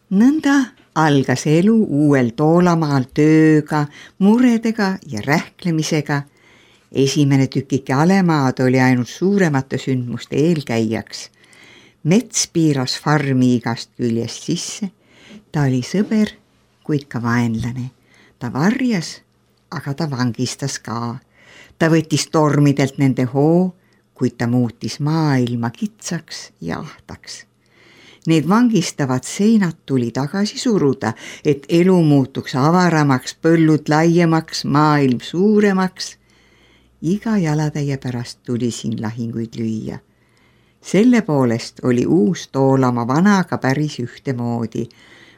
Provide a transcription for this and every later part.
Nõnda algas elu uuel Toolamaal tööga, muredega ja rähklemisega. Esimene tükike Alemaad oli ainult suuremate sündmuste eelkäijaks. Mets piiras farmi igast küljest sisse. Ta oli sõber, kuid ka vaenlane. Ta varjas, aga ta vangistas ka. Ta võttis tormidelt nende hoo, kuid ta muutis maailma kitsaks ja ahtaks. Need vangistavad seinad tuli tagasi suruda, et elu muutuks avaramaks, põllud laiemaks, maailm suuremaks. Iga jalatäie pärast tuli siin lahinguid lüüa. Selle poolest oli uus Toolama vanaga päris ühtemoodi.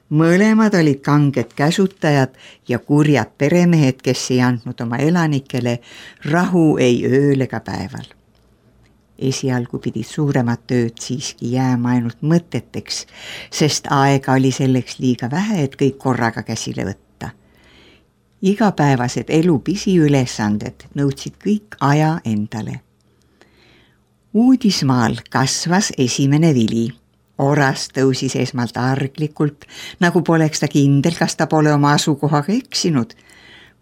Mõlemad olid kanged käsutajad ja kurjad peremehed, kes ei andnud oma elanikele rahu ei ööl ega päeval. Esialgu pidid suuremad tööd siiski jääma ainult mõteteks, sest aega oli selleks liiga vähe, et kõik korraga käsile võtta. Igapäevased elu pisiülesanded nõudsid kõik aja endale. Uudismaal kasvas esimene vili. Oras tõusis esmalt arglikult, nagu poleks ta kindel, kas ta pole oma asukohaga eksinud.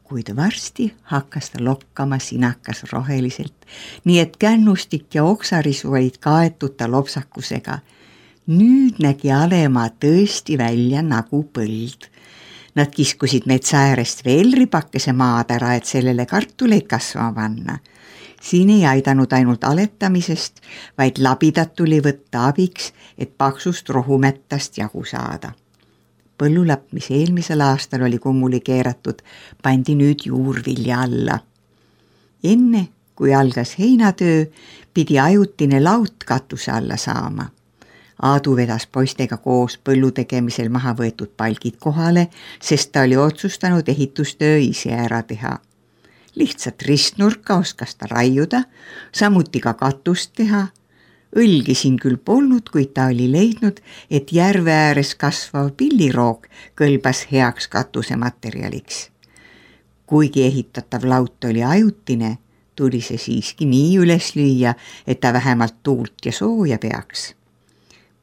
Kuid varsti hakkas ta lokkama sinakas roheliselt, nii et kännustik ja oksarisu olid kaetud ta lopsakusega. Nüüd nägi Alemaa tõesti välja nagu põld. Nad kiskusid metsa äärest veel ripakese maad ära, et sellele kartuleid kasvama panna. Siin ei aidanud ainult aletamisest, vaid labidat tuli võtta abiks, et paksust rohumättast jagu saada. Põllulapp, mis eelmisel aastal oli kummuli keeratud, pandi nüüd juurvilja alla. Enne, kui algas heinatöö, pidi ajutine laut katuse alla saama. Aadu vedas poistega koos põllu tegemisel maha võetud palgid kohale, sest ta oli otsustanud ehitustöö ise ära teha. Lihtsalt ristnurka oskas ta raiuda, samuti ka katust teha. Õlgi siin küll polnud, kuid ta oli leidnud, et järve ääres kasvav pilliroog kõlbas heaks katuse materjaliks. Kuigi ehitatav laut oli ajutine, tuli see siiski nii üles lüüa, et ta vähemalt tuult ja sooja peaks.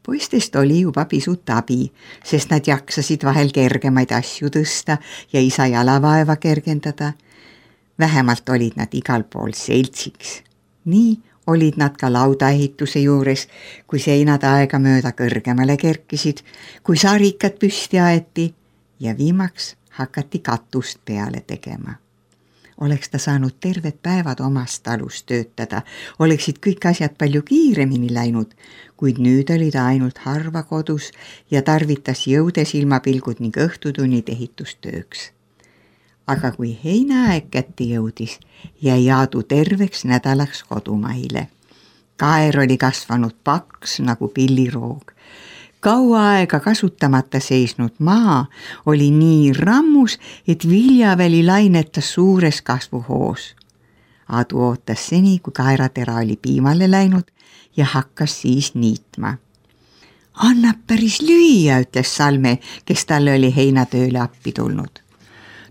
Poistest oli juba pisut abi, sest nad jaksasid vahel kergemaid asju tõsta ja isa jalavaeva kergendada. Vähemalt olid nad igal pool seltsiks. Nii olid nad ka laudaehituse juures, kui seinad aega mööda kõrgemale kerkisid, kui sarikad püsti aeti ja viimaks hakati katust peale tegema. Oleks ta saanud terved päevad omast talust töötada, oleksid kõik asjad palju kiiremini läinud, kuid nüüd oli ta ainult harva kodus ja tarvitas jõudes ilmapilgud ning õhtutunnid ehitustööks. Aga kui heinaaeg kätte jõudis, jäi Aadu terveks nädalaks kodumaile. Kaer oli kasvanud paks nagu pilliroog. Kaua aega kasutamata seisnud maa oli nii rammus, et viljaväli lainetas suures kasvuhoos. Aadu ootas seni, kui kaeratera oli piimale läinud ja hakkas siis niitma. Annab päris lüüa, ütles Salme, kes talle oli heinatööle appi tulnud.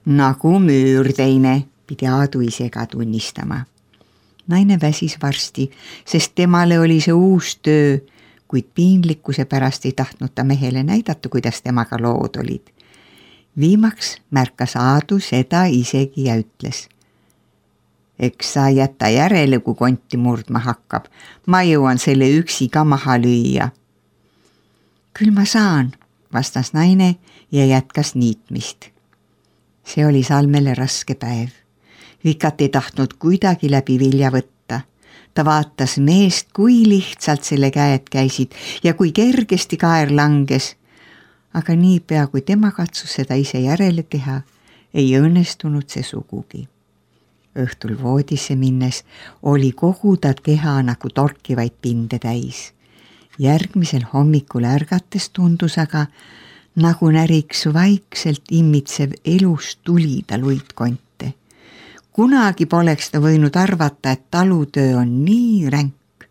Nagu müürteine, pidi Aadu ise ka tunnistama. Naine väsis varsti, sest temale oli see uus töö, kuid piinlikkuse pärast ei tahtnud ta mehele näidata, kuidas temaga lood olid. Viimaks märkas Aadu seda isegi ja ütles. Eks sa jätta järele, kui konti murdma hakkab. Ma jõuan selle üksi ka maha lüüa. Küll ma saan, vastas naine ja jätkas niitmist. See oli Salmele raske päev. Vikat ei tahtnud kuidagi läbi vilja võtta. Ta vaatas meest, kui lihtsalt selle käed käisid ja kui kergesti kaer langes. Aga niipea, kui tema katsus seda ise järele teha, ei õnnestunud see sugugi. Õhtul voodisse minnes oli kogu ta keha nagu torkivaid pinde täis. Järgmisel hommikul ärgates tundus aga, nagu näriks vaikselt imitsev elus tuli ta luitkonte. Kunagi poleks ta võinud arvata, et talutöö on nii ränk.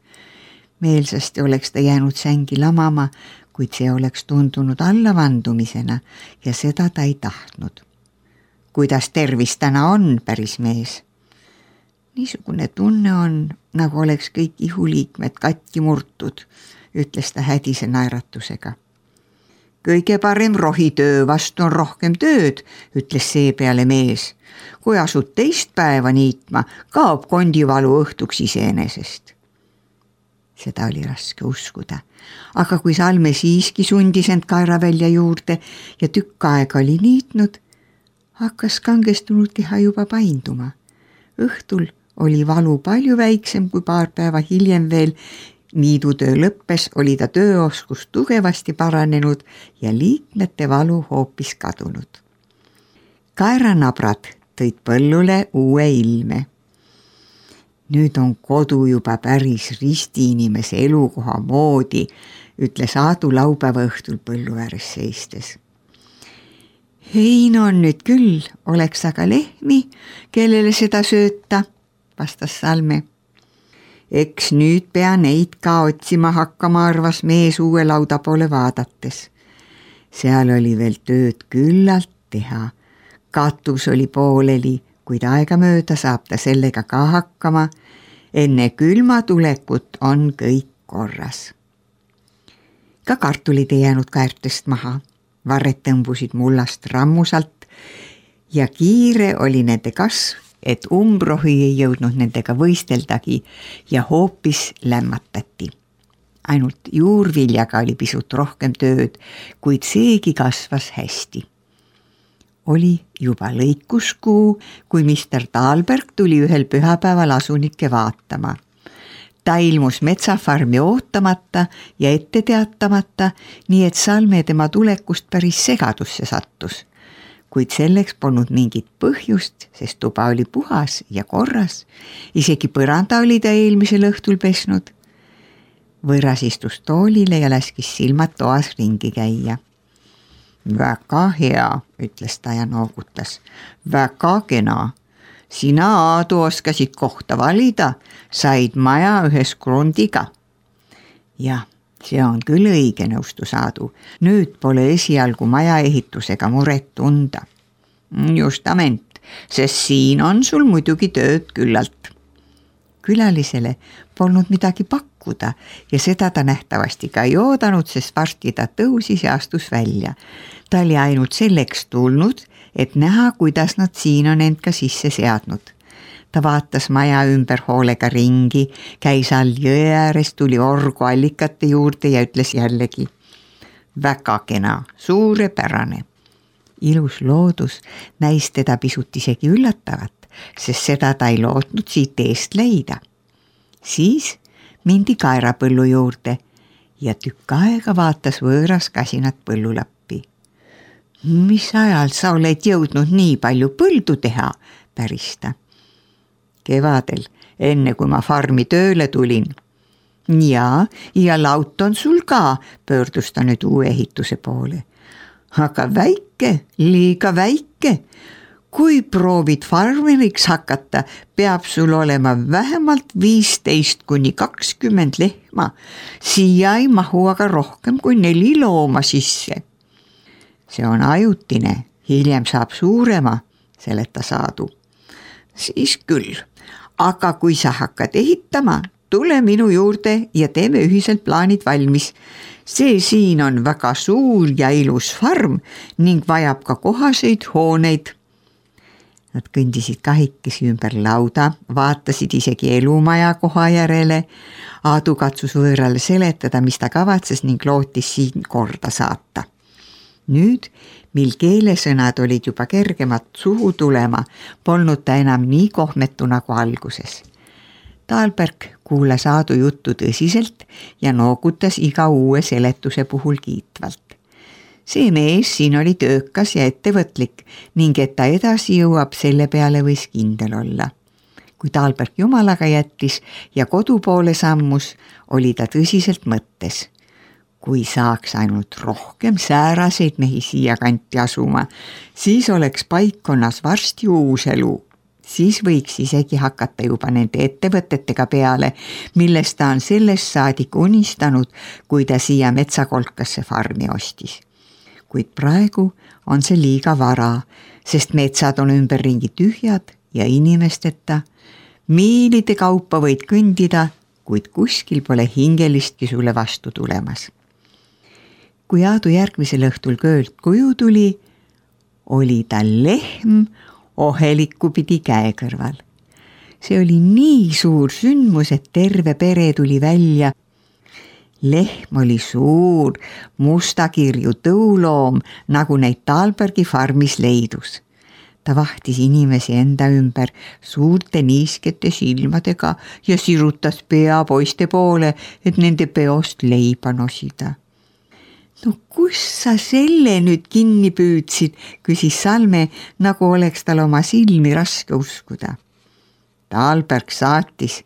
Meelsasti oleks ta jäänud sängi lamama, kuid see oleks tundunud allavandumisena ja seda ta ei tahtnud. Kuidas tervis täna on, päris mees? Niisugune tunne on, nagu oleks kõik ihuliikmed katki murtud, ütles ta hädise naeratusega. Kõige parem rohitöö vastu on rohkem tööd, ütles seepeale mees. Kui asud teist päeva niitma, kaob kondivalu õhtuks iseenesest. Seda oli raske uskuda, aga kui Salme siiski sundis end kaeravälja juurde ja tükk aega oli niitnud, hakkas kangestunud keha juba painduma. Õhtul oli valu palju väiksem kui paar päeva hiljem veel. Niidutöö lõppes, oli ta tööoskus tugevasti paranenud ja liikmete valu hoopis kadunud. Kaeranabrad tõid põllule uue ilme. Nüüd on kodu juba päris ristiinimese elukoha moodi, ütles Aadu laupäeva õhtul põllu ääres seistes. Hein on nüüd küll, oleks aga lehmi, kellele seda sööta, vastas Salme. Eks nüüd pea neid ka otsima hakkama, arvas mees uue lauda poole vaadates. Seal oli veel tööd küllalt teha. Katus oli pooleli, kuid aega mööda saab ta sellega ka hakkama. Enne külma tulekut on kõik korras. Ka kartulid ei jäänud kaertest maha. Varred tõmbusid mullast rammusalt ja kiire oli nende kasv, et umbrohi ei jõudnud nendega võisteldagi ja hoopis lämmatati. Ainult juurviljaga oli pisut rohkem tööd, kuid seegi kasvas hästi. Oli juba lõikuskuu, kui Mr. Thalberg tuli ühel pühapäeval asunikke vaatama. Ta ilmus metsafarmi ootamata ja ette teatamata, nii et Salme tema tulekust päris segadusse sattus. Kuid selleks polnud mingit põhjust, sest tuba oli puhas ja korras. Isegi põranda oli ta eelmisel õhtul pesnud. Võõras istus toolile ja laskis silmad toas ringi käia. Väga hea, ütles ta ja noogutas. Väga kena. Sina, Aadu, oskasid kohta valida, said maja ühes krondiga. Jah, see on küll õige, nõustus Aadu. Nüüd pole esialgu maja ehitusega muret tunda. Justament, sest siin on sul muidugi tööd küllalt. Külalisele polnud midagi pakkuda ja seda ta nähtavasti ka ei oodanud, sest varsti ta tõusis ja astus välja. Ta oli ainult selleks tulnud, et näha, kuidas nad siin on end ka sisse seadnud. Ta vaatas maja ümber hoolega ringi, käis all jõe ääres, tuli orgu allikate juurde ja ütles jällegi. Väga kena, suurepärane. Ilus loodus näis teda pisut isegi üllatavat, sest seda ta ei lootnud siit eest leida. Siis mindi kaerapõllu juurde ja tükk aega vaatas võõras kasinat põllulappi. Mis ajal sa oled jõudnud nii palju põldu teha, päris ta. Kevadel, enne kui ma farmi tööle tulin. Ja laut on sul ka, pöördus ta nüüd uue ehituse poole. Aga väike, liiga väike. Kui proovid farmeriks hakata, peab sul olema vähemalt 15–20 lehma. Siia ei mahu aga rohkem kui 4 looma sisse. See on ajutine, hiljem saab suurema, seletas Aadu. Siis küll, aga kui sa hakkad ehitama, tule minu juurde ja teeme ühiselt plaanid valmis. See siin on väga suur ja ilus farm ning vajab ka kohaseid hooneid. Nad kõndisid kahikesi ümber lauda, vaatasid isegi elumaja koha järele. Aadu katsus võõrale seletada, mis ta kavatses ning lootis siin korda saata. Nüüd, mil keelesõnad olid juba kergemad suhu tulema, polnud ta enam nii kohmetu nagu alguses. Thalberg kuulas Aadu juttu tõsiselt ja noogutas iga uue seletuse puhul kiitvalt. See mees siin oli töökas ja ettevõtlik ning et ta edasi jõuab, selle peale võis kindel olla. Kui Thalberg jumalaga jättis ja kodu poole sammus, oli ta tõsiselt mõttes. Kui saaks ainult rohkem sääraseid mehi siia kanti asuma, siis oleks paikkonnas varsti uus elu. Siis võiks isegi hakata juba nende ettevõtetega peale, millest ta on sellest saadik unistanud, kui ta siia metsakolkasse farmi ostis. Kuid praegu on see liiga vara, sest metsad on ümberringi tühjad ja inimesteta. Miilide kaupa võid kõndida, kuid kuskil pole hingelistki sulle vastu tulemas. kui Aadu järgmisel õhtul köölt koju tuli, oli tal lehm oheliku pidi käe kõrval. See oli nii suur sündmus, et terve pere tuli välja. Lehm oli suur, mustakirju tõuloom, nagu neid Tahlbergi farmis leidus. Ta vahtis inimesi enda ümber suurte niiskete silmadega ja sirutas pea poiste poole, et nende peost leiba nosida. No kus sa selle nüüd kinni püüdsid, küsis Salme, nagu oleks tal oma silmi raske uskuda. Tahlberg saatis,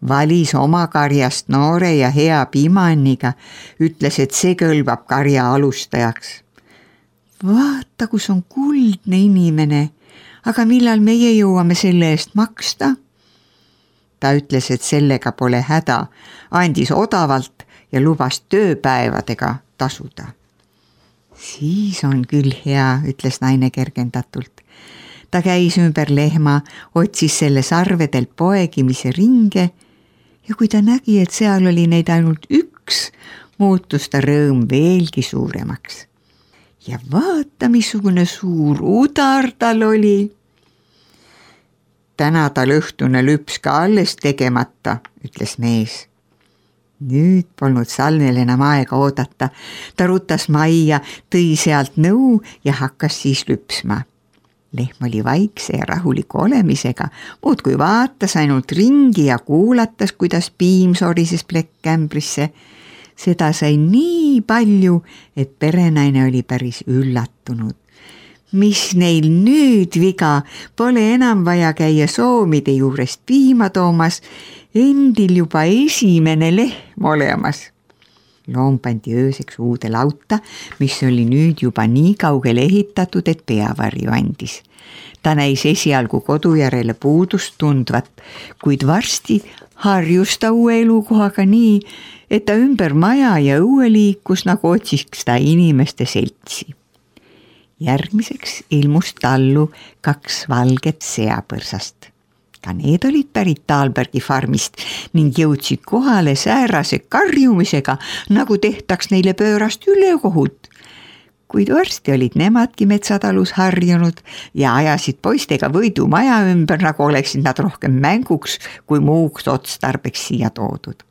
valis oma karjast noore ja hea piimanniga, ütles, et see kõlbab karja alustajaks. Vaata, kus on kuldne inimene, aga millal meie jõuame selle eest maksta? Ta ütles, et sellega pole häda, andis odavalt ja lubas tööpäevadega tasuda. Siis on küll hea, ütles naine kergendatult. Ta käis ümber lehma, otsis selle sarvedelt poegimise ringe ja kui ta nägi, et seal oli neid ainult üks, muutus ta rõõm veelgi suuremaks. Ja vaata, missugune suur udar tal oli. Täna tal õhtune lüps ka alles tegemata, ütles mees. Nüüd polnud Salmel enam aega oodata. Ta rutas majja, tõi sealt nõu ja hakkas siis lüpsma. Lehm oli vaikse ja rahuliku olemisega, muudkui vaatas ainult ringi ja kuulatas, kuidas piim sorises plekkkämbrisse. Seda sai nii palju, et perenaine oli päris üllatunud. Mis neil nüüd viga, pole enam vaja käia soomide juurest piima toomas, endil juba esimene lehm olemas. Loom pandi ööseks uude lauta, mis oli nüüd juba nii kaugele ehitatud, et peavarju andis. Ta näis esialgu kodu järele puudust tundvat, kuid varsti harjus ta uue elukohaga nii, et ta ümber maja ja õue liikus, nagu otsiks ta inimeste seltsi. Järgmiseks ilmus tallu 2 valget seapõrsast. Ka need olid pärit Tahlbergi farmist ning jõudsid kohale säärase karjumisega, nagu tehtaks neile pöörast ülekohut. Kuid varsti olid nemadki metsatalus harjunud ja ajasid poistega võidu maja ümber, nagu oleksid nad rohkem mänguks kui muuks otstarbeks siia toodud.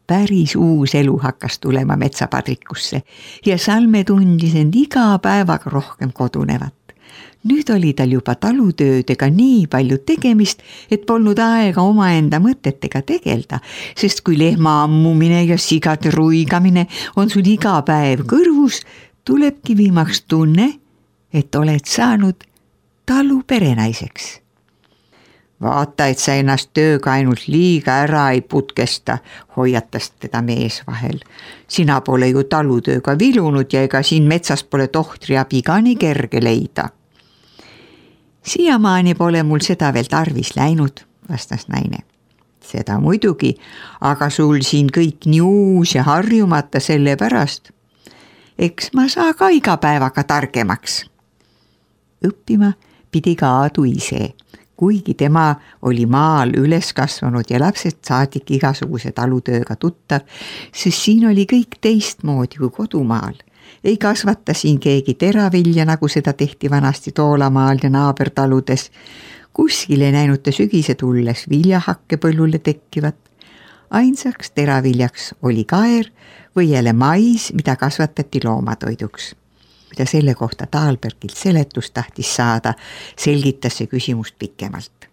Päris uus elu hakkas tulema metsapadrikusse ja Salme tundis end iga päevaga rohkem kodunevat. Nüüd oli tal juba talutöödega nii palju tegemist, et polnud aega omaenda mõtetega tegelda, sest kui lehma ammumine ja sigade ruigamine on sul iga päev kõrvus, tulebki viimaks tunne, et oled saanud talu perenaiseks. Vaata, et sa ennast tööga ainult liiga ära ei putkesta, hoiatas teda mees vahel. Sina pole ju talutööga vilunud ja ega siin metsas pole tohtri abi ka nii kerge leida. Siiamaani pole mul seda veel tarvis läinud, vastas naine. Seda muidugi, aga sul siin kõik nii uus ja harjumata selle pärast. Eks ma saa ka iga päevaga targemaks. Õppima pidi ka Aadu ise, kuigi tema oli maal üles kasvanud ja lapsed saadik igasuguse talutööga tuttav, sest siin oli kõik teistmoodi kui kodumaal. Ei kasvata siin keegi teravilja, nagu seda tehti vanasti Toolamaal ja naabertaludes. Kuskil ei näinud ta sügise tulles viljahakke põllule tekkivat. Ainsaks teraviljaks oli kaer või jälle mais, mida kasvatati loomatoiduks. Kui ta selle kohta Tahlbergilt seletust tahtis saada, selgitas see küsimust pikemalt.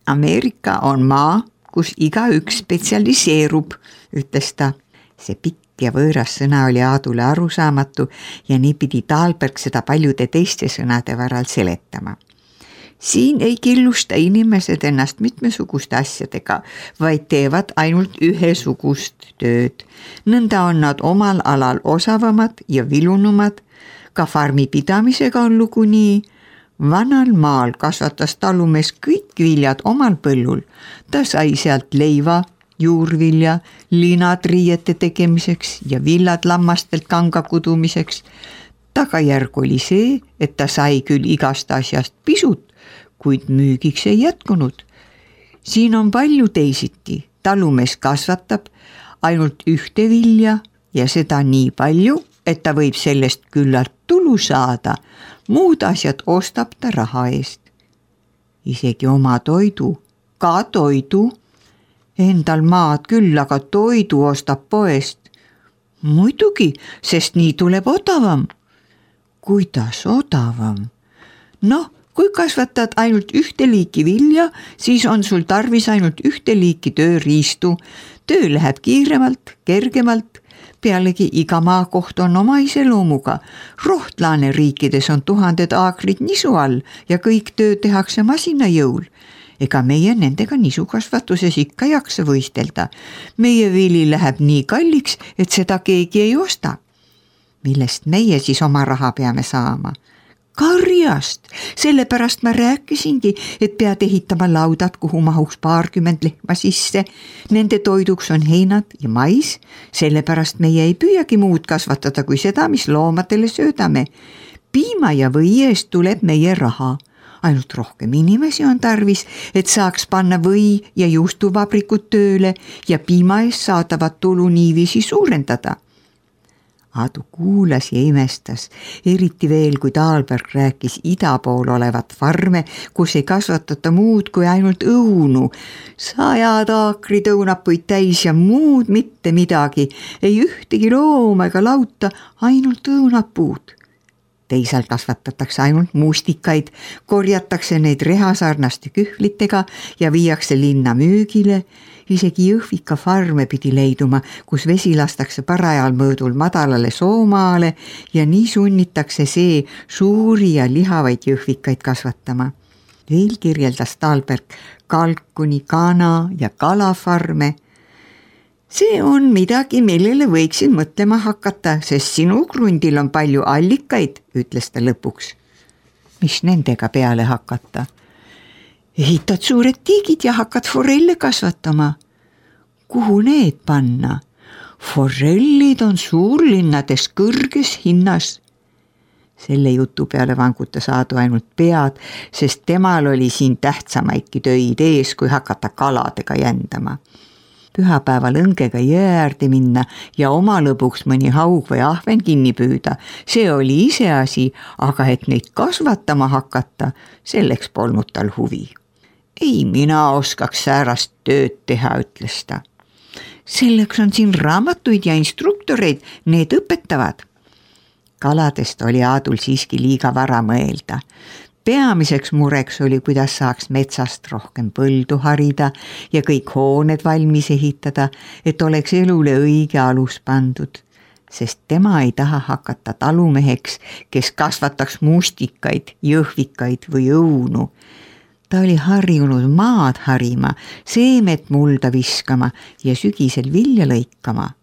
Ameerika on maa, kus igaüks spetsialiseerub, ütles ta. See pikk ja võõras sõna oli Aadule arusaamatu ja nii pidi Tahlberg seda paljude teiste sõnade varal seletama. Siin ei killusta inimesed ennast mitmesuguste asjadega, vaid teevad ainult ühesugust tööd. Nõnda on nad omal alal osavamad ja vilunumad, ka farmi pidamisega on lugu nii. Vanal maal kasvatas talumees kõik viljad omal põllul. Ta sai sealt leiva, juurvilja, linad riiete tegemiseks ja villad lammastelt kanga kudumiseks. Tagajärg oli see, et ta sai küll igast asjast pisut, kuid müügiks ei jätkunud. Siin on palju teisiti. Talumees kasvatab ainult ühte vilja ja seda nii palju, et ta võib sellest küllalt tulu saada, muud asjad ostab ta raha eest. Isegi oma toidu, ka toidu, endal maad küll, aga toidu ostab poest. Muidugi, sest nii tuleb odavam. Kuidas odavam? Noh, kui kasvatad ainult ühte liiki vilja, siis on sul tarvis ainult ühte liiki tööriistu. Töö läheb kiiremalt, kergemalt. Pealegi iga maakoht on oma iseloomuga. Rohtlaane riikides on 1000 aakrit nisu all ja kõik töö tehakse masina jõul. Ega meie nendega nisukasvatuses ikka jaksa võistelda. Meie vili läheb nii kalliks, et seda keegi ei osta. Millest meie siis oma raha peame saama? Karjast, sellepärast ma rääkisingi, et pead ehitama laudad, kuhu mahuks 20 lehma sisse. Nende toiduks on heinad ja mais, sellepärast meie ei püüagi muud kasvatada kui seda, mis loomadele söödame. Piima ja või eest tuleb meie raha. Ainult rohkem inimesi on tarvis, et saaks panna või ja juustuvabrikud tööle ja piima eest saadavat tulu niiviisi suurendada. Aadu kuulas ja imestas, eriti veel, kui Taalberg rääkis ida pool olevat farme, kus ei kasvatata muud kui ainult õunu. 100 aakrid õunapuid täis ja muud mitte midagi, ei ühtegi looma ega lauta, ainult õunapuud. Teisalt kasvatatakse ainult mustikaid, korjatakse neid rehasarnaste kühvlitega ja viiakse linna müügile. Isegi Jõhvika farme pidi leiduma, kus vesi lastakse parajal mõõdul madalale soomaale ja nii sunnitakse see suuri ja lihavaid jõhvikaid kasvatama. Veel kirjeldas Taalberg kalkuni, kana ja kalafarme. See on midagi, millele võiksin mõtlema hakata, sest sinu krundil on palju allikaid, ütles ta lõpuks. Mis nendega peale hakata? Ehitad suured tiigid ja hakkad forelle kasvatama. Kuhu need panna? Forellid on suurlinnades kõrges hinnas. Selle jutu peale vangutas Aadu ainult pead, sest temal oli siin tähtsamaidki töid ees, kui hakata kaladega jändama. Pühapäeval õngega jõe äärde minna ja oma lõbuks mõni haug või ahven kinni püüda. See oli iseasi, aga et neid kasvatama hakata, selleks polnud tal huvi. Ei mina oskaks säärast tööd teha, ütles ta. Selleks on siin raamatuid ja instruktoreid, need õpetavad. Kaladest oli Aadul siiski liiga vara mõelda. Peamiseks mureks oli, kuidas saaks metsast rohkem põldu harida ja kõik hooned valmis ehitada, et oleks elule õige alus pandud. Sest tema ei taha hakata talumeheks, kes kasvataks mustikaid, jõhvikaid või õunu. Ta oli harjunud maad harima, seemet mulda viskama ja sügisel vilja lõikama.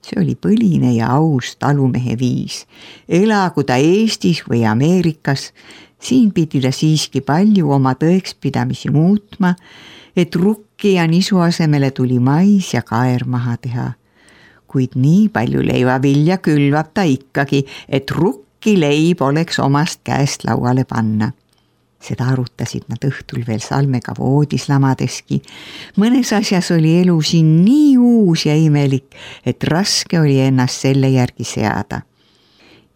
See oli põline ja aus talumehe viis. Elagu ta Eestis või Ameerikas, siin pidi ta siiski palju oma tõekspidamisi muutma, et rukki ja nisu asemele tuli mais ja kaer maha teha. Kuid nii palju leivavilja külvab ta ikkagi, et rukki leib oleks omast käest lauale panna. Seda arutasid nad õhtul veel Salmega voodis lamadeski. Mõnes asjas oli elu siin nii uus ja imelik, et raske oli ennast selle järgi seada.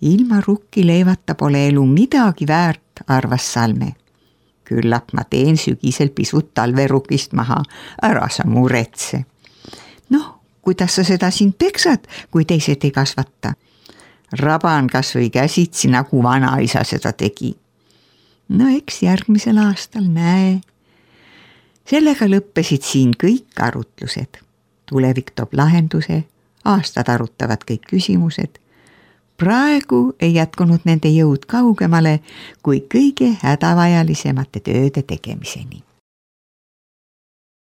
Ilma rukki leivata pole elu midagi väärt, arvas Salme. Küllap ma teen sügisel pisut talverukist maha, ära sa muretse. Noh, kuidas sa seda siin peksad, kui teised ei kasvata? Raban kas või käsitsi, nagu vanaisa seda tegi. No eks järgmisel aastal näe. Sellega lõppesid siin kõik arutlused. Tulevik toob lahenduse, aastad arutavad kõik küsimused. Praegu ei jätkunud nende jõud kaugemale kui kõige hädavajalisemate tööde tegemiseni.